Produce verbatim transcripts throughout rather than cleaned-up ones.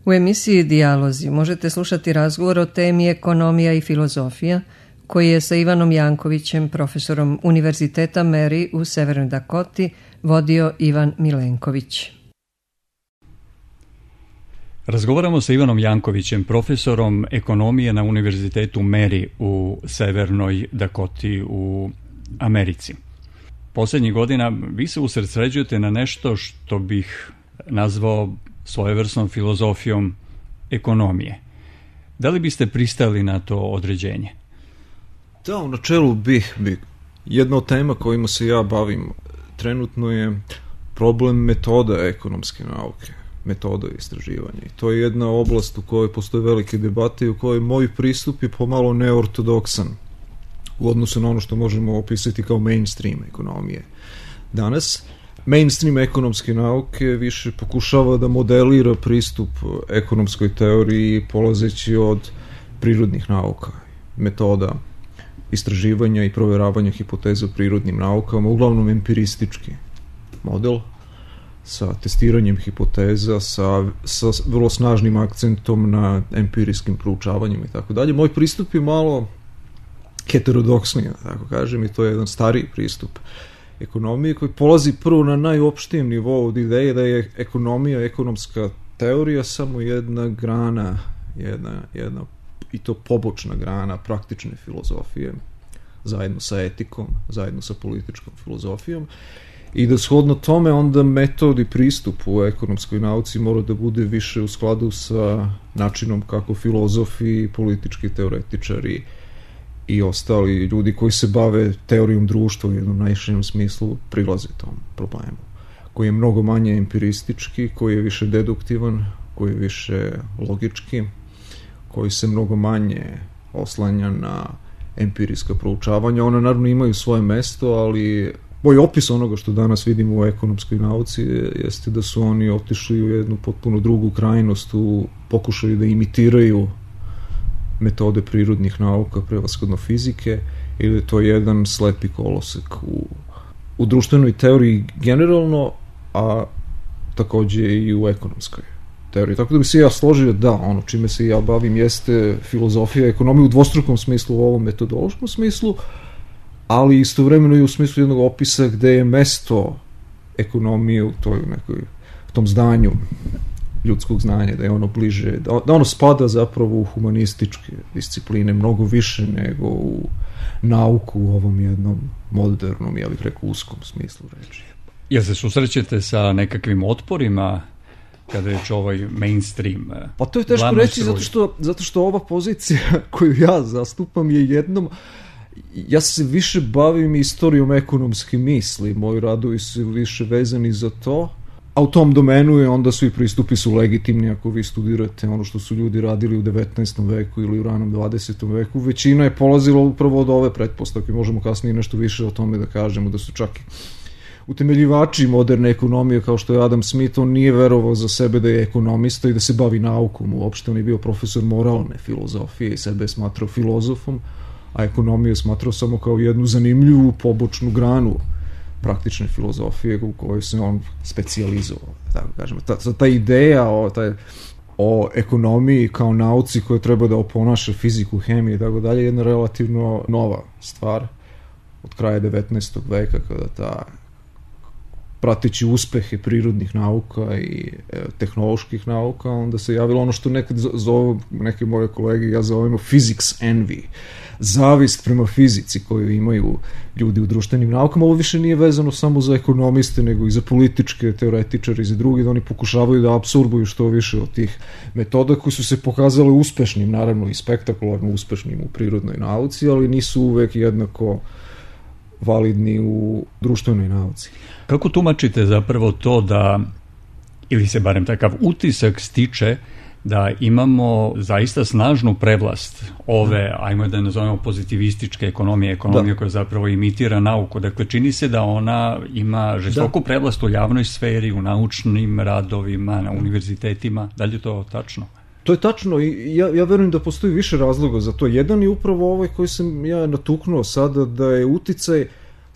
U emisiji Dijalozi možete slušati razgovor o temi ekonomija i filozofija koji je sa Ivanom Jankovićem, profesorom Univerziteta Mary u Severnoj Dakoti, vodio Ivan Milenković. Razgovaramo sa Ivanom Jankovićem, profesorom ekonomije na Univerzitetu Mary u Severnoj Dakoti u Americi. Poslednjih godina vi se usredsređujete na nešto što bih nazvao svojevrsnom filozofijom ekonomije. Da li biste pristali na to određenje? Da, u načelu bih, bih. Jedna od tema kojima se ja bavim trenutno je problem metoda ekonomske nauke, metoda istraživanja. I to je jedna oblast u kojoj postoje velike debate i u kojoj moj pristup je pomalo neortodoksan u odnosu na ono što možemo opisati kao mainstream ekonomije. Danas mainstream ekonomske nauke više pokušava da modelira pristup ekonomskoj teoriji polazeći od prirodnih nauka, metoda istraživanja i proveravanja hipoteza u prirodnim naukama, uglavnom empiristički model sa testiranjem hipoteza, sa, sa vrlo snažnim akcentom na empirijskim proučavanjima i tako dalje. Moj pristup je malo heterodoksni, tako kažem, i to je jedan stariji pristup ekonomije koji polazi prvo na najopštijem nivou od ideje da je ekonomija, ekonomska teorija samo jedna grana, jedna, jedna i to pobočna grana praktične filozofije, zajedno sa etikom, zajedno sa političkom filozofijom, i da shodno tome onda metod i pristup u ekonomskoj nauci mora da bude više u skladu sa načinom kako filozofi, politički teoretičari i ostali ljudi koji se bave teorijom društva u jednom najširem smislu prilaze tom problemu, koji je mnogo manje empiristički, koji je više deduktivan, koji je više logički, koji se mnogo manje oslanja na empirijska proučavanja. Ona naravno imaju svoje mesto, ali moj opis onoga što danas vidimo u ekonomskoj nauci jeste da su oni otišli u jednu potpuno drugu krajnost u pokušaju da imitiraju metode prirodnih nauka, prevashodno fizike, ili je to jedan slepi kolosek u, u društvenoj teoriji generalno, a takođe i u ekonomskoj teoriji. Tako da bi se ja složio da ono čime se ja bavim jeste filozofija ekonomije u dvostrukom smislu, u ovom metodološkom smislu, ali istovremeno i u smislu jednog opisa gde je mesto ekonomije u toj nekoj, u tom zdanju ljudskog znanja, da je ono bliže, da, da ono spada zapravo u humanističke discipline mnogo više nego u nauku u ovom jednom modernom, ja bih rekao, uskom smislu reči. Jel se susrećete sa nekakvim otporima kada je ovaj mainstream? Pa to je teško reći zato što, zato što ova pozicija koju ja zastupam je jednom, ja se više bavim istorijom ekonomske misli, moji radovi su više vezani za to, a u tom domenu je onda svi pristupi su legitimni ako vi studirate ono što su ljudi radili u devetnaestom veku ili u ranom dvadesetom veku. Većina je polazila upravo od ove pretpostavke, možemo kasnije nešto više o tome da kažemo, da su čak i utemeljivači moderne ekonomije kao što je Adam Smith, on nije verovao za sebe da je ekonomista i da se bavi naukom uopšte, on je bio profesor moralne filozofije i sebe je smatrao filozofom, a ekonomiju je smatrao samo kao jednu zanimljivu pobočnu granu praktične filozofije u kojoj se on specijalizovao, tako kažemo. Ta, ta ideja o, taj, o ekonomiji kao nauci koja treba da oponaša fiziku, hemiju i tako dalje je jedna relativno nova stvar od kraja devetnaestog veka, kada ta prateći uspehe prirodnih nauka i e, tehnoloških nauka, onda se javilo ono što nekad zovu neke moje kolege, ja zovemo physics envy, zavist prema fizici koju imaju ljudi u društvenim naukama. Ovo više nije vezano samo za ekonomiste, nego i za političke teoretičare i za drugi, da oni pokušavaju da apsorbuju što više od tih metoda koji su se pokazale uspešnim, naravno i spektakularno uspešnim u prirodnoj nauci, ali nisu uvek jednako validni u društvenoj nauci. Kako tumačite zapravo to da, ili se barem takav utisak stiče, da imamo zaista snažnu prevlast ove, ajmo da nazovemo pozitivističke ekonomije, ekonomije da. koja zapravo imitira nauku. Dakle, čini se da ona ima žestoku da. prevlast u javnoj sferi, u naučnim radovima, na univerzitetima. Da li je to tačno? To je tačno i ja, ja verujem da postoji više razloga za to. Jedan je upravo ovaj koji sam ja natuknuo sada, da je uticaj,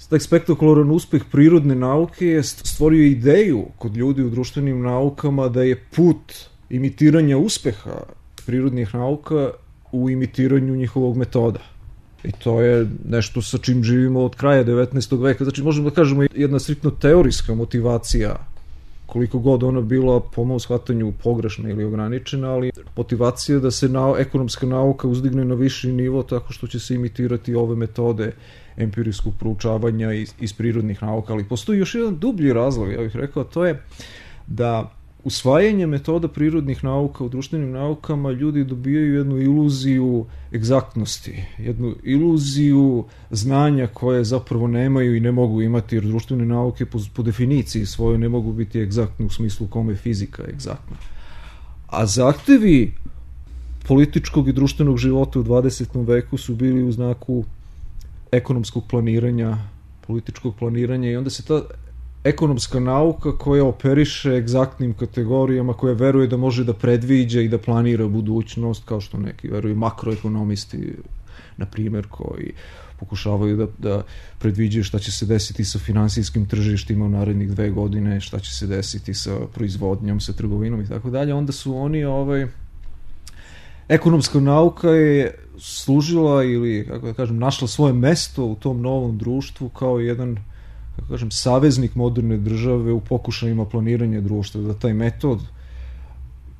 taj spektakularan uspeh prirodne nauke je stvorio ideju kod ljudi u društvenim naukama da je put imitiranja uspeha prirodnih nauka u imitiranju njihovog metoda. I to je nešto sa čim živimo od kraja devetnaestog veka. Znači, možemo da kažemo jedna striktno teorijska motivacija, koliko god ona bila po mom shvatanju pogrešna ili ograničena, ali motivacija da se na, ekonomska nauka uzdigne na viši nivo tako što će se imitirati ove metode empirijskog proučavanja iz, iz prirodnih nauka. Ali postoji još jedan dublji razlog, ja bih rekao, to je da usvajanje metoda prirodnih nauka u društvenim naukama ljudi dobijaju jednu iluziju egzaktnosti, jednu iluziju znanja koje zapravo nemaju i ne mogu imati, jer društvene nauke po, po definiciji svojoj ne mogu biti egzaktne u smislu kome je fizika egzaktna. A zahtevi političkog i društvenog života u dvadesetom veku su bili u znaku ekonomskog planiranja, političkog planiranja, i onda se ta ekonomska nauka koja operiše egzaktnim kategorijama, koja veruje da može da predviđa i da planira budućnost, kao što neki veruju makroekonomisti, na primjer, koji pokušavaju da, da predviđaju šta će se desiti sa finansijskim tržištima u narednih dve godine, šta će se desiti sa proizvodnjom, sa trgovinom i tako dalje, onda su oni, ovaj, ekonomska nauka je služila ili, kako da kažem, našla svoje mesto u tom novom društvu kao jedan, kako kažem, saveznik moderne države u pokušajima planiranja društva, da taj metod,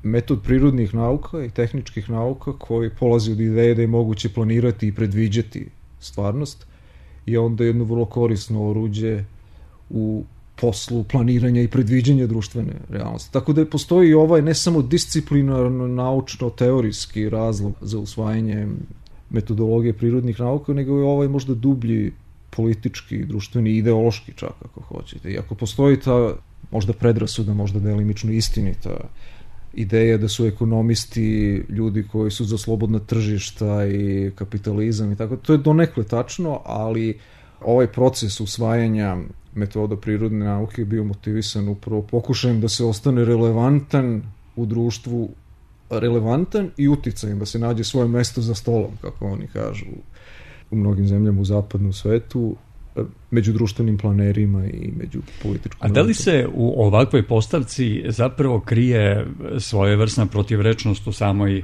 metod prirodnih nauka i tehničkih nauka koji polazi od ideje da je moguće planirati i predviđati stvarnost, je onda jedno vrlo korisno oruđe u poslu planiranja i predviđanja društvene realnosti. Tako da postoji i ovaj ne samo disciplinarno, naučno-teorijski razlog za usvajanje metodologije prirodnih nauka, nego je ovaj možda dublji politički, društveni, ideološki čak, ako hoćete. I ako postoji ta možda predrasuda, možda delimično istinita ideja da su ekonomisti ljudi koji su za slobodna tržišta i kapitalizam i tako, to je donekle tačno, ali ovaj proces usvajanja metoda prirodne nauke je bio motivisan upravo pokušajem da se ostane relevantan u društvu, relevantan i uticajem, da se nađe svoje mesto za stolom, kako oni kažu u mnogim zemljama u zapadnom svetu, među društvenim planerima i među političkom... A da li se u ovakvoj postavci zapravo krije svojevrsna protivrečnost u samoj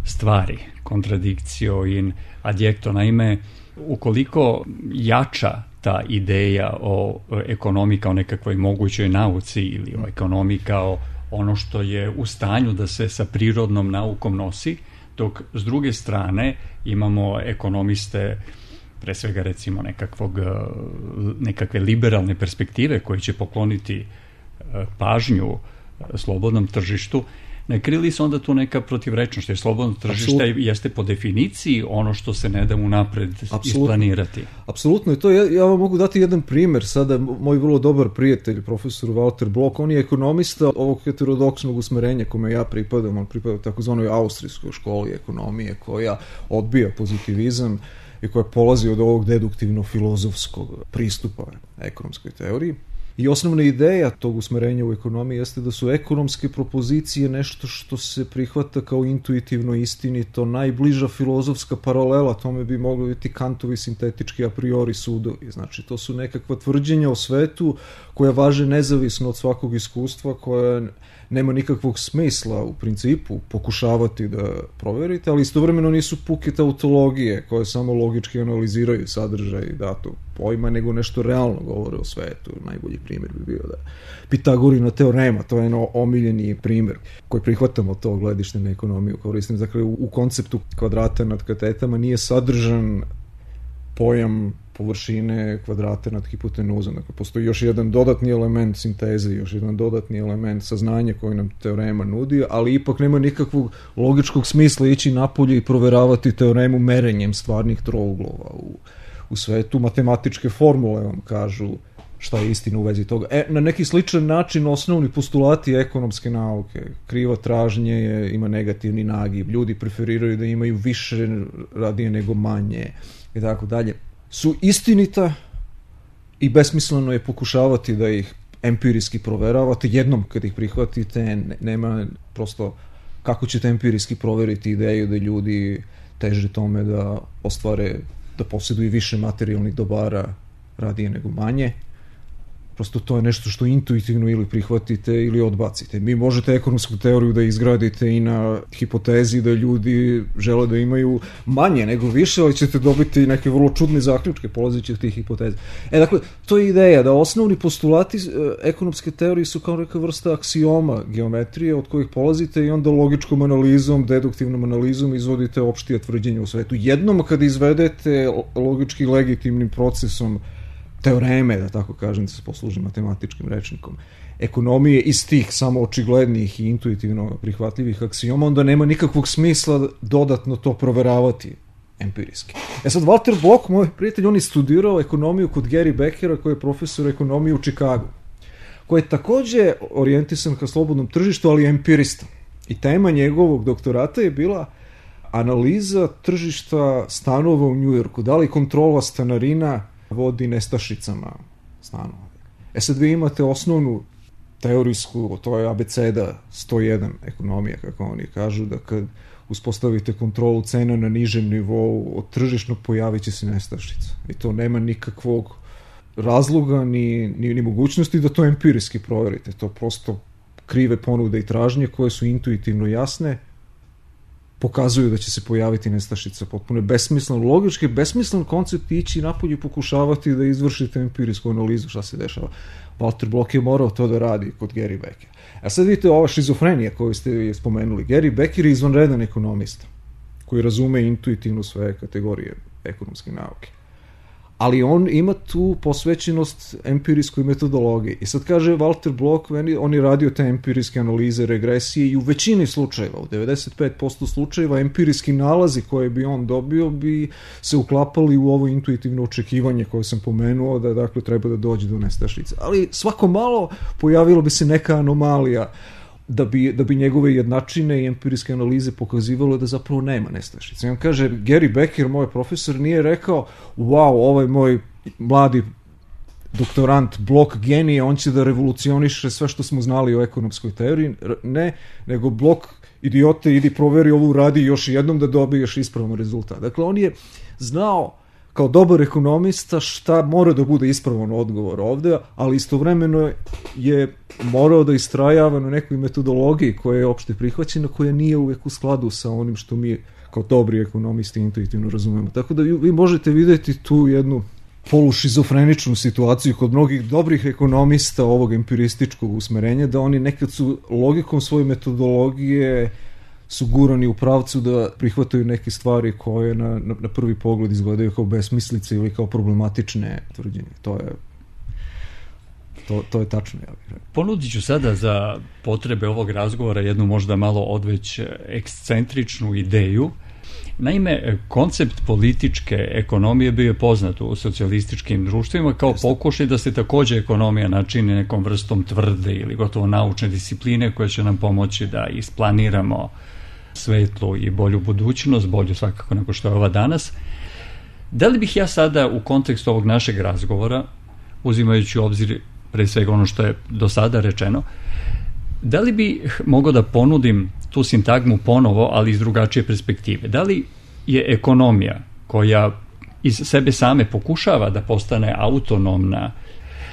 stvari, kontradikcio in adjekto? Naime, ukoliko jača ta ideja o ekonomiji kao nekakvoj mogućoj nauci ili o ekonomiji kao ono što je u stanju da se sa prirodnom naukom nosi, dok s druge strane imamo ekonomiste, pre svega recimo nekakvog, nekakve liberalne perspektive koji će pokloniti pažnju slobodnom tržištu, ne krili se onda tu neka protivrečnost, jer slobodno tržište Absolutno. Jeste po definiciji ono što se ne da unapred isplanirati. Apsolutno, i to ja, ja vam mogu dati jedan primer. Sada moj vrlo dobar prijatelj, profesor Walter Block, on je ekonomista ovog heterodoksnog usmerenja kome ja pripadam, on pripada takozvanoj austrijskoj školi ekonomije koja odbija pozitivizam i koja polazi od ovog deduktivno-filozofskog pristupa ekonomskoj teoriji. I osnovna ideja tog usmerenja u ekonomiji jeste da su ekonomske propozicije nešto što se prihvata kao intuitivno istinito, najbliža filozofska paralela, tome bi mogli biti Kantovi sintetički a priori sudovi. Znači, to su nekakva tvrđenja o svetu koja važe nezavisno od svakog iskustva, koja nema nikakvog smisla u principu pokušavati da proverite, ali istovremeno nisu puke tautologije koje samo logički analiziraju sadržaj datog pojma, nego nešto realno govore o svetu. Najbolji primjer bi bio da Pitagorina teorema, to je jedan omiljeni primjer koji prihvatamo to gledište na ekonomiju koristim. Dakle, u konceptu kvadrata nad katetama nije sadržan pojam površine kvadrata nad hipotenuzom. Dakle, postoji još jedan dodatni element sinteze, još jedan dodatni element saznanja koji nam teorema nudi, ali ipak nema nikakvog logičkog smisla ići napolje i proveravati teoremu merenjem stvarnih trouglova u, u svetu. Matematičke formule vam kažu šta je istina u vezi toga. E, na neki sličan način osnovni postulati ekonomske nauke, kriva tražnje je, ima negativni nagib, ljudi preferiraju da imaju više radije nego manje i tako dalje, su istinita i besmisleno je pokušavati da ih empirijski proveravate. Jednom kad ih prihvatite, nema prosto kako ćete empirijski proveriti ideju da ljudi teže tome da ostvare, da posjeduju više materijalnih dobara radije nego manje. Prosto to je nešto što intuitivno ili prihvatite ili odbacite. Mi možete ekonomsku teoriju da izgradite i na hipotezi da ljudi žele da imaju manje nego više, ali ćete dobiti neke vrlo čudne zaključke polazeći od tih hipoteza. E, dakle, to je ideja da osnovni postulati ekonomske teorije su kao neka vrsta aksioma geometrije od kojih polazite i onda logičkom analizom, deduktivnom analizom izvodite opštije tvrđenje u svetu. Jednom kad izvedete logički legitimnim procesom teoreme, da tako kažem, da se poslužim matematičkim rečnikom, ekonomije iz tih samo očiglednih i intuitivno prihvatljivih aksioma, onda nema nikakvog smisla dodatno to proveravati empirijski. E sad, Walter Block, moj prijatelj, on je studirao ekonomiju kod Gary Beckera, koji je profesor ekonomije u Čikagu, koji je takođe orijentisan ka slobodnom tržištu, ali empirista. I tema njegovog doktorata je bila analiza tržišta stanova u Njujorku, da li kontrola stanarina vodi nestašicama stanova. E sad vi imate osnovnu teorijsku, to je abeceda sto jedan ekonomija, kako oni kažu, da kad uspostavite kontrolu cena na nižem nivou od tržišnog, pojavit će se nestašica. I to nema nikakvog razloga ni, ni, ni mogućnosti da to empirijski proverite. To prosto krive ponude i tražnje koje su intuitivno jasne, pokazuju da će se pojaviti nestašica. Potpuno je besmislen, logički besmislen koncept ići napolje i pokušavati da izvršite empirijsku analizu šta se dešava. Walter Block je morao to da radi kod Gary Beckera. A sad vidite ova šizofrenija koju ste spomenuli. Gary Becker je izvanredan ekonomista koji razume intuitivno sve kategorije ekonomske nauke. Ali on ima tu posvećenost empirijskoj metodologiji. I sad kaže Walter Block, on je radio te empirijske analize, regresije i u većini slučajeva, u devedeset pet posto slučajeva, empirijski nalazi koje bi on dobio bi se uklapali u ovo intuitivno očekivanje koje sam pomenuo, da dakle treba da dođe do nestašice. Ali svako malo pojavilo bi se neka anomalija da bi, da bi njegove jednačine i empirijske analize pokazivalo da zapravo nema nestašice. I on kaže, Gary Becker, moj profesor, nije rekao, wow, ovaj moj mladi doktorant Block genije, on će da revolucioniše sve što smo znali o ekonomskoj teoriji. Ne, nego Block, idiote, idi proveri ovu, radi još jednom da dobiješ ispravan rezultat. Dakle, on je znao kao dobar ekonomista šta mora da bude ispravan odgovor ovde, ali istovremeno je morao da istrajava na nekoj metodologiji koja je opšte prihvaćena, koja nije uvek u skladu sa onim što mi kao dobri ekonomisti intuitivno razumemo. Tako da vi možete videti tu jednu polušizofreničnu situaciju kod mnogih dobrih ekonomista ovog empirističkog usmerenja, da oni nekad su logikom svoje metodologije su gurani u pravcu da prihvataju neke stvari koje na, na, na prvi pogled izgledaju kao besmislice ili kao problematične tvrđenje. To je to, to je tačno. Ja Ponudit ću sada za potrebe ovog razgovora jednu možda malo odveć ekscentričnu ideju. Naime, koncept političke ekonomije bio je poznat u socijalističkim društvima kao pokušaj da se takođe ekonomija načini nekom vrstom tvrde ili gotovo naučne discipline koje će nam pomoći da isplaniramo svetlu i bolju budućnost, bolju svakako nego što je ova danas. Da li bih ja sada u kontekstu ovog našeg razgovora, uzimajući u obzir pre svega ono što je do sada rečeno, da li bih mogao da ponudim tu sintagmu ponovo, ali iz drugačije perspektive? Da li je ekonomija koja iz sebe same pokušava da postane autonomna?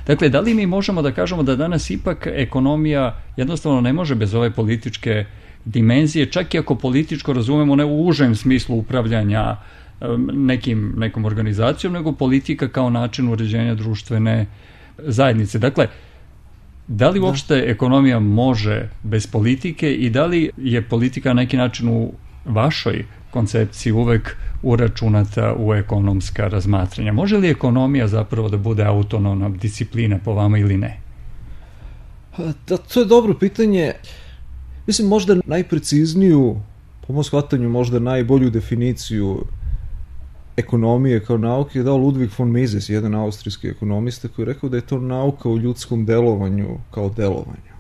Dakle, da li mi možemo da kažemo da danas ipak ekonomija jednostavno ne može bez ove političke dimenzije, čak i ako političko razumemo ne u užem smislu upravljanja nekim, nekom organizacijom, nego politika kao način uređenja društvene zajednice. Dakle, da li uopšte ekonomija može bez politike i da li je politika na neki način u vašoj koncepciji uvek uračunata u ekonomska razmatranja? Može li ekonomija zapravo da bude autonomna disciplina po vama ili ne? Da, to je dobro pitanje. Mislim, možda najprecizniju, po mom shvatanju, možda najbolju definiciju ekonomije kao nauke je dao Ludwig von Mises, jedan austrijski ekonomista, koji je rekao da je to nauka o ljudskom delovanju kao delovanju.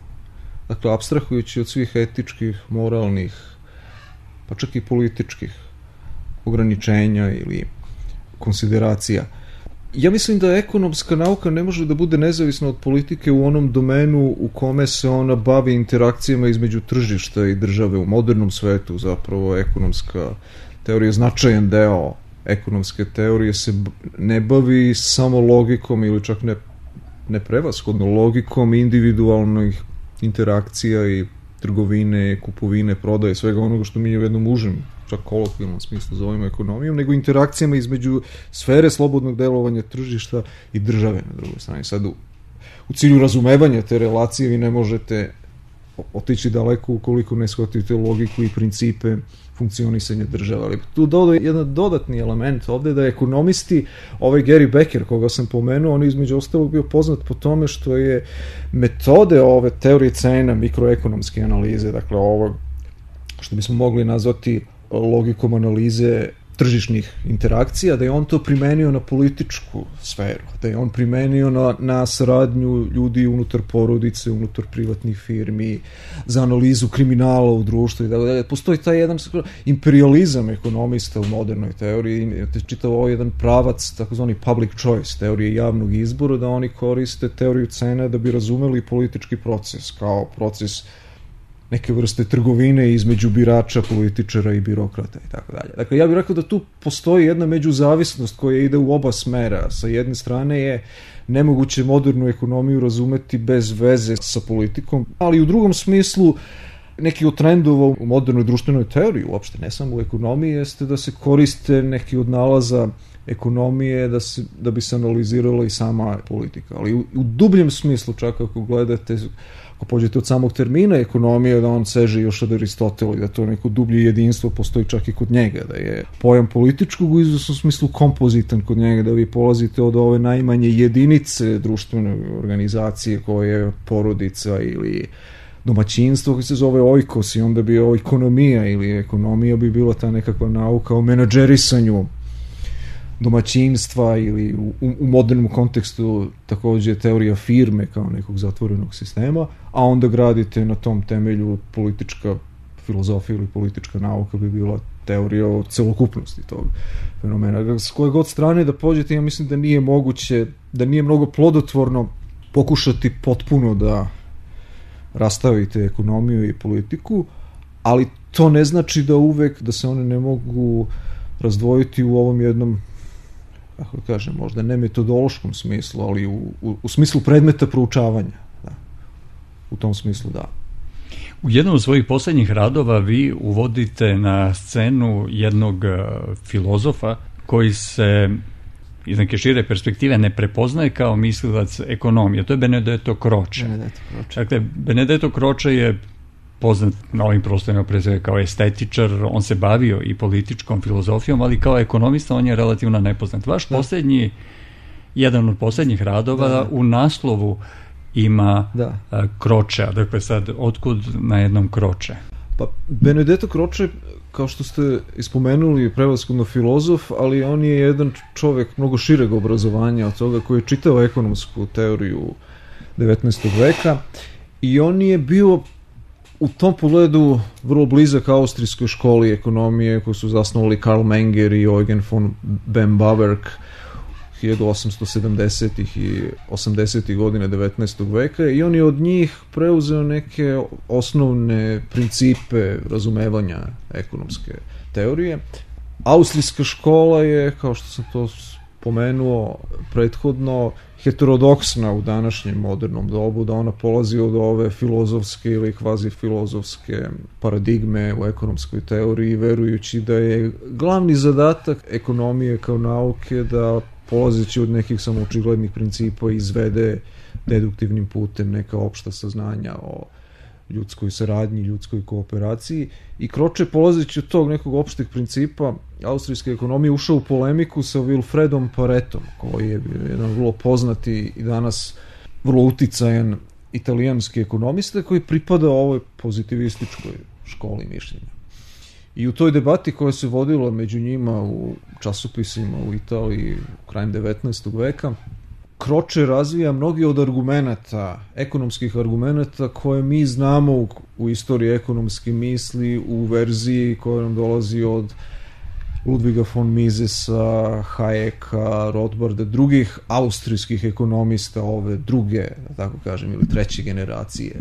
Dakle, apstrahujući od svih etičkih, moralnih, pa čak i političkih ograničenja ili konsideracija. Ja mislim da ekonomska nauka ne može da bude nezavisna od politike u onom domenu u kome se ona bavi interakcijama između tržišta i države. U modernom svetu zapravo ekonomska teorija, značajan deo ekonomske teorije se ne bavi samo logikom ili čak ne ne prevashodno, logikom individualnih interakcija i trgovine, kupovine, prodaje, svega onoga što mi u jednom užem, čak kolokvijalnom smislu zovemo ekonomijom, nego interakcijama između sfere slobodnog delovanja tržišta i države na drugoj strani. Sad u, u cilju razumevanja te relacije vi ne možete otići daleko ukoliko ne shvatite logiku i principe funkcionisanja države. Ali tu dodaje jedan dodatni element ovde da ekonomisti, ovaj Gary Becker koga sam pomenuo, on je između ostalog bio poznat po tome što je metode ove teorije cena, mikroekonomske analize, dakle ovo što bismo mogli nazvati logikom analize tržišnih interakcija, da je on to primenio na političku sferu, da je on primenio na, na saradnju ljudi unutar porodice, unutar privatnih firmi, za analizu kriminala u društvu i tako dalje. Postoji taj jedan imperializam ekonomista u modernoj teoriji, čitav ovo jedan pravac, takozvani public choice, teorije javnog izbora, da oni koriste teoriju cena da bi razumeli politički proces, kao proces neke vrste trgovine između birača, političara i birokrata i tako dalje. Dakle, ja bih rekao da tu postoji jedna međuzavisnost koja ide u oba smera. Sa jedne strane je nemoguće modernu ekonomiju razumeti bez veze sa politikom, ali u drugom smislu neki od trendova u modernoj društvenoj teoriji, uopšte ne samo u ekonomiji, jeste da se koriste neki od nalaza ekonomije da, se, da bi se analizirala i sama politika. Ali u, u dubljem smislu, čak ako gledate, ako pođete od samog termina ekonomije, da on seže još od Aristotela i da to neko dublje jedinstvo postoji čak i kod njega, da je pojam političkog u izvesnom smislu kompozitan kod njega, da vi polazite od ove najmanje jedinice društvene organizacije koje je porodica ili domaćinstvo koji se zove oikos i onda bi ekonomija ili ekonomija bi bila ta nekakva nauka o menadžerisanju domaćinstva ili u, u modernom kontekstu takođe teorija firme kao nekog zatvorenog sistema, a onda gradite na tom temelju politička filozofija ili politička nauka bi bila teorija o celokupnosti tog fenomena. S koje god strane da pođete, ja mislim da nije moguće, da nije mnogo plodotvorno pokušati potpuno da rastavite ekonomiju i politiku, ali to ne znači da uvek da se one ne mogu razdvojiti u ovom jednom, kako kažem, možda ne metodološkom smislu, ali u, u, u smislu predmeta proučavanja. Da. U tom smislu, da. U jednom od svojih poslednjih radova vi uvodite na scenu jednog filozofa koji se iz neke šire perspektive ne prepoznaje kao mislilac ekonomije. To je Benedetto Croce. Benedetto Croce. Dakle, Benedetto Croce je poznat na ovim prostorima pre svega kao estetičar, on se bavio i političkom filozofijom, ali kao ekonomista on je relativno nepoznat. Vaš da. poslednji, jedan od poslednjih radova da, da. u naslovu ima da. Croce, dakle sad, otkud na jednom Croce? Pa, Benedetto Croce, kao što ste ispomenuli, prevashodno filozof, ali on je jedan čovek mnogo šireg obrazovanja od toga koji je čitao ekonomsku teoriju devetnaestog veka i on je bio u tom pogledu vrlo blizak austrijskoj školi ekonomije koju su zasnovali Karl Menger i Eugen von Bembaverk hiljadu osamsto sedamdesetih i osamdesetih godina devetnaestog veka i on je od njih preuzeo neke osnovne principe razumevanja ekonomske teorije. Austrijska škola je, kao što sam to pomenuo prethodno, heterodoksna u današnjem modernom dobu, da ona polazi od ove filozofske ili kvazi filozofske paradigme u ekonomskoj teoriji, verujući da je glavni zadatak ekonomije kao nauke da polazeći od nekih samoočiglednih principa izvede deduktivnim putem neka opšta saznanja o ljudskoj saradnji, ljudskoj kooperaciji i Croce polazeći od tog nekog opšteg principa austrijske ekonomije ušao u polemiku sa Wilfredom Paretom, koji je jedan vrlo poznati i danas vrlo uticajan italijanski ekonomista koji pripada ovoj pozitivističkoj školi mišljenja. I u toj debati koja se vodila među njima u časopisima u Italiji krajem devetnaestog veka, Croce razvija mnogi od argumenata, ekonomskih argumenata koje mi znamo u, u istoriji ekonomske misli u verziji koja nam dolazi od Ludviga von Misesa, Hayeka, Rothbarda, drugih austrijskih ekonomista ove druge, da tako kažem, ili treće generacije,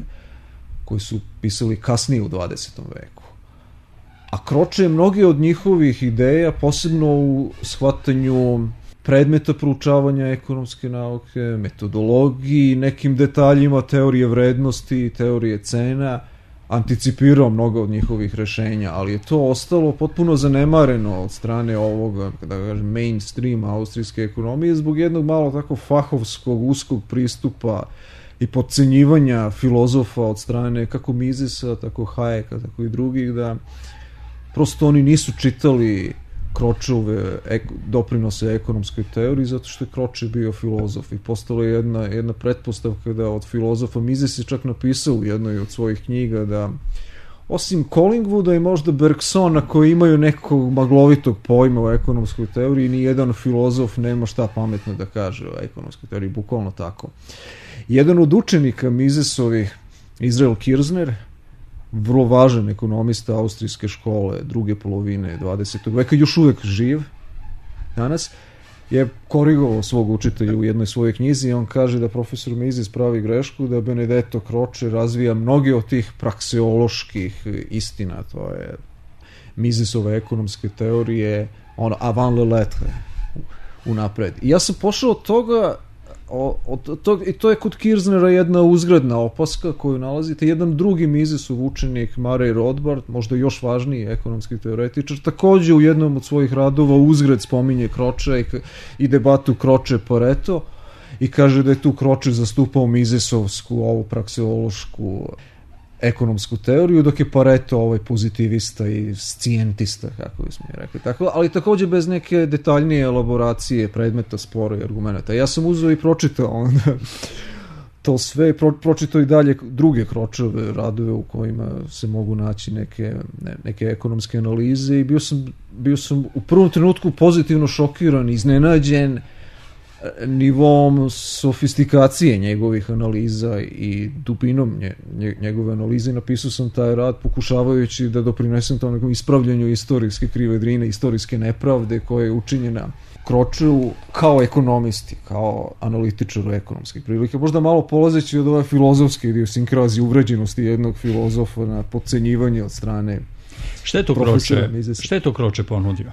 koji su pisali kasnije u dvadesetom veku. A Croce je mnoge od njihovih ideja, posebno u shvatanju predmeta proučavanja ekonomske nauke, metodologiji, nekim detaljima teorije vrednosti, teorije cena, anticipirao mnogo od njihovih rešenja, ali je to ostalo potpuno zanemareno od strane ovoga, da kažem, mainstream austrijske ekonomije zbog jednog malo tako fahovskog, uskog pristupa i podcenjivanja filozofa od strane kako Misesa, tako Hayeka, tako i drugih, da prosto oni nisu čitali Kročove ek, doprinose ekonomskoj teoriji zato što je Kroče bio filozof i postala je jedna, jedna pretpostavka da od filozofa Mises je čak napisao u jednoj od svojih knjiga da osim Collingwooda i možda Bergsona koji imaju nekog maglovitog pojma o ekonomskoj teoriji, ni jedan filozof nema šta pametno da kaže o ekonomskoj teoriji, bukvalno tako. Jedan od učenika Misesovih, Israel Kirzner, vrlo važan ekonomista austrijske škole druge polovine dvadesetog veka, još uvek živ danas, je korigovao svog učitelja u jednoj svojoj knjizi i on kaže da profesor Mises pravi grešku, da Benedetto Croce razvija mnoge od tih prakseoloških istina, to je Misesove ekonomske teorije, ono, avant le lettre, unapred. I ja sam pošao od toga, O, od, to, i to je kod Kirznera jedna uzgredna opaska koju nalazite. Jedan drugi Misesov učenik, Murray Rothbard, možda još važniji ekonomski teoretičar, takođe u jednom od svojih radova uzgred spominje Croce i, i debatu Croce-Pareto i kaže da je tu Croce zastupao Misesovsku, ovu prakseološku ekonomsku teoriju, dok je Pareto ovaj pozitivista i scijentista, kako bismo mi rekli. Tako, ali takođe bez neke detaljnije elaboracije predmeta, spora i argumenta. Ja sam uzeo i pročitao onda to sve, pro, pročitao i dalje druge Kročeve radove u kojima se mogu naći neke, ne, neke ekonomske analize i bio sam, bio sam u prvom trenutku pozitivno šokiran, iznenađen nivom sofistikacije njegovih analiza i dubinom nje, njegove analize. Napisao sam taj rad pokušavajući da doprinesem tom nekom ispravljanju istorijske krive drine, istorijske nepravde koja je učinjena Kročeu kao ekonomisti, kao analitičaru ekonomskih prilika. Možda malo polazeći od ove filozofske idiosinkrazije, uvređenosti jednog filozofa na podcenjivanje od strane Šta je to Kroče? Šta je to Kroče ponudio?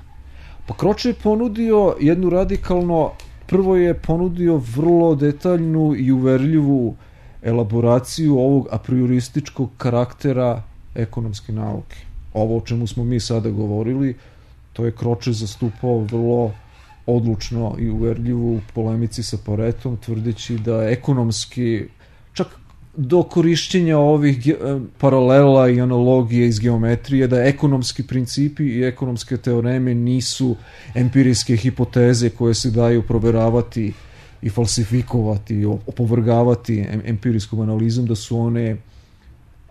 Pa Kroče je ponudio jednu radikalno Prvo je ponudio vrlo detaljnu i uverljivu elaboraciju ovog apriorističkog karaktera ekonomske nauke. Ovo o čemu smo mi sada govorili, to je Kroče zastupao vrlo odlučno i uverljivu u polemici sa Paretom, tvrdeći da ekonomski, čak do korišćenja ovih paralela i analogije iz geometrije, da ekonomski principi i ekonomske teoreme nisu empirijske hipoteze koje se daju proveravati i falsifikovati, opovrgavati empirijskom analizom, da su one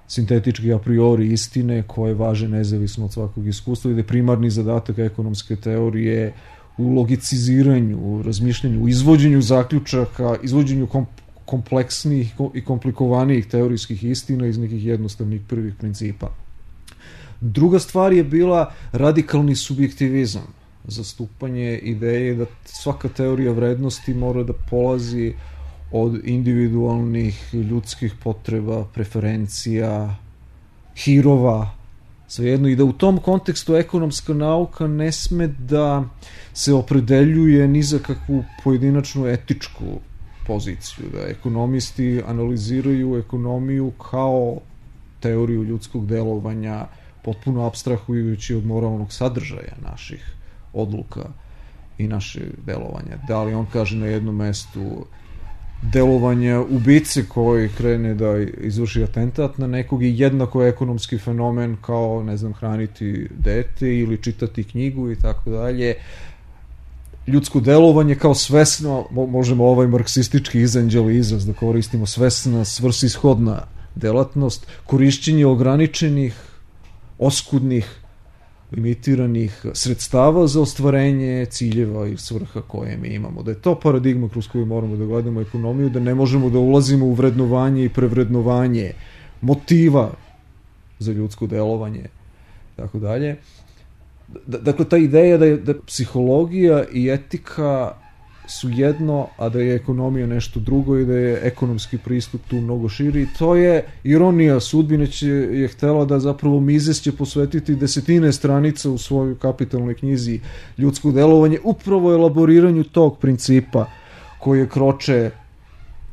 sintetički a priori istine koje važe nezavisno od svakog iskustva i da je primarni zadatak ekonomske teorije u logiciziranju, u razmišljanju, u izvođenju zaključaka, izvođenju komp kompleksnijih i komplikovanijih teorijskih istina iz nekih jednostavnih prvih principa. Druga stvar je bila radikalni subjektivizam, zastupanje ideje da svaka teorija vrednosti mora da polazi od individualnih ljudskih potreba, preferencija, hirova, svejedno, i da u tom kontekstu ekonomska nauka ne sme da se opredeljuje ni za kakvu pojedinačnu etičku poziciju, da ekonomisti analiziraju ekonomiju kao teoriju ljudskog delovanja, potpuno apstrahujući od moralnog sadržaja naših odluka i naše delovanja. Da li on kaže na jednom mestu delovanja ubice koji krene da izvrši atentat na nekog i jednako ekonomski fenomen kao, ne znam, hraniti dete ili čitati knjigu i tako dalje. Ljudsko delovanje kao svesno, možemo ovaj marksistički izanđeli izraz da koristimo, svesna, svrsishodna delatnost, korišćenje ograničenih, oskudnih, limitiranih sredstava za ostvarenje ciljeva i svrha koje mi imamo. Da je to paradigma kroz koju moramo da gledamo ekonomiju, da ne možemo da ulazimo u vrednovanje i prevrednovanje motiva za ljudsko delovanje, tako dalje. Dakle, ta ideja da je da psihologija i etika su jedno, a da je ekonomija nešto drugo i da je ekonomski pristup tu mnogo širi. To je ironija sudbine, će je htela da zapravo Mises će posvetiti desetine stranica u svojoj kapitalnoj knjizi Ljudsko delovanje upravo elaboriranju tog principa koji je Croce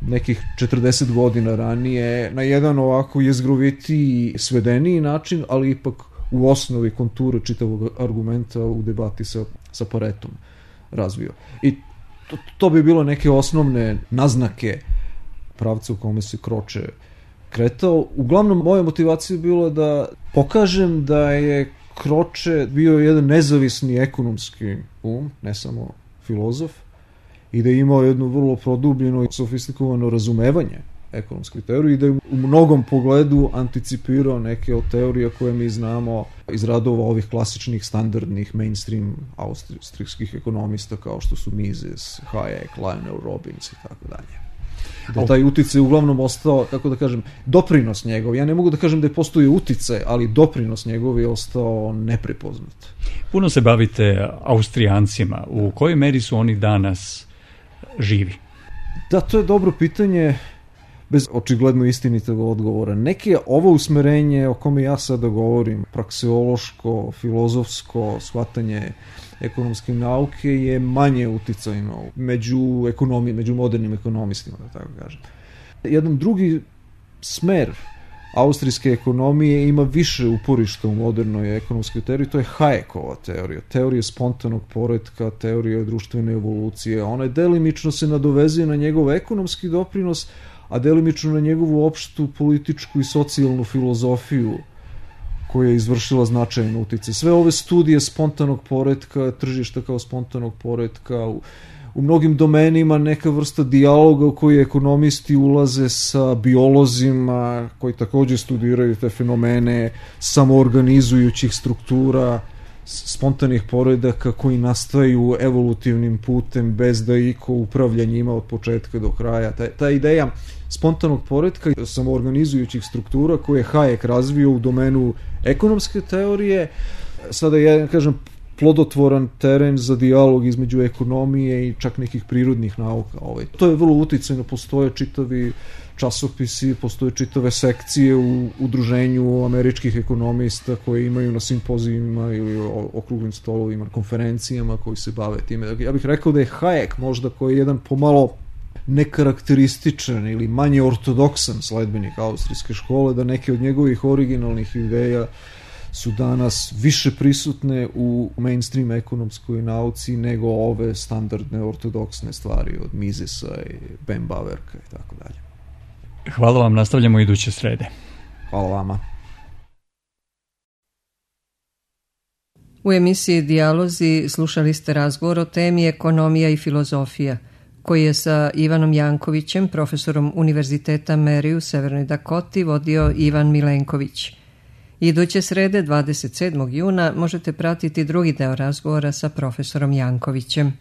nekih četrdeset godina ranije na jedan ovako jezgrovitiji, svedeniji način, ali ipak u osnovi konture čitavog argumenta u debati sa, sa Paretom razvio. I to, to bi bilo neke osnovne naznake pravca u kome se Croce kretao. Uglavnom, moja motivacija je bila da pokažem da je Croce bio jedan nezavisni ekonomski um, ne samo filozof, i da je imao jedno vrlo produbljeno i sofistikuano razumevanje ekonomske teorije i da je u mnogom pogledu anticipirao neke od teorija koje mi znamo iz radova ovih klasičnih, standardnih, mainstream austrijskih ekonomista kao što su Mises, Hayek, Lionel Robbins i tako dalje. Da taj uticaj uglavnom ostao, kako da kažem, doprinos njegov. Ja ne mogu da kažem da je postoji uticaj, ali doprinos njegov je ostao neprepoznat. Puno se bavite Austrijancima. U kojoj meri su oni danas živi? Da, to je dobro pitanje, bez očigledno istinitog odgovora. Neke ovo usmerenje o kome ja sada govorim, prakseološko, filozofsko shvatanje ekonomske nauke je manje uticajno među ekonomiji, među modernim ekonomistima, da tako kažem. Jedan drugi smer austrijske ekonomije ima više uporišta u modernoj ekonomskoj teoriji, to je Hayekova teorija, teorija spontanog poretka, teorija društvene evolucije. Ona delimično se nadovezuje na njegov ekonomski doprinos, a delimično na njegovu opštu političku i socijalnu filozofiju koja je izvršila značajan uticaj. Sve ove studije spontanog poretka, tržišta kao spontanog poretka, u, u mnogim domenima neka vrsta dijaloga u koji ekonomisti ulaze sa biolozima koji takođe studiraju te fenomene samoorganizujućih struktura, spontanih poredaka koji nastaju evolutivnim putem bez da iko upravlja njima od početka do kraja. Ta, ta ideja spontanog poretka i samoorganizujućih struktura koje je Hayek razvio u domenu ekonomske teorije, sada je, kažem, plodotvoran teren za dijalog između ekonomije i čak nekih prirodnih nauka. Ovaj. To je vrlo uticajno, postoje čitavi časopisi, postoje čitave sekcije u udruženju američkih ekonomista koje imaju na simpozijima ili okruglim stolovima, konferencijama koji se bave time. Ja bih rekao da je Hayek možda koji je jedan pomalo nekarakterističan ili manje ortodoksan sledbenik austrijske škole, da neke od njegovih originalnih ideja su danas više prisutne u mainstream ekonomskoj nauci nego ove standardne ortodoksne stvari od Misesa i Ben Baverka i tako dalje. Hvala vam, nastavljamo iduće srede. Hvala vama. U emisiji Dijalozi slušali ste razgovor o temi ekonomija i filozofija, koji je sa Ivanom Jankovićem, profesorom Univerziteta Meri u Severnoj Dakoti, vodio Ivan Milenković. Iduće srede, dvadeset sedmog juna, možete pratiti drugi deo razgovora sa profesorom Jankovićem.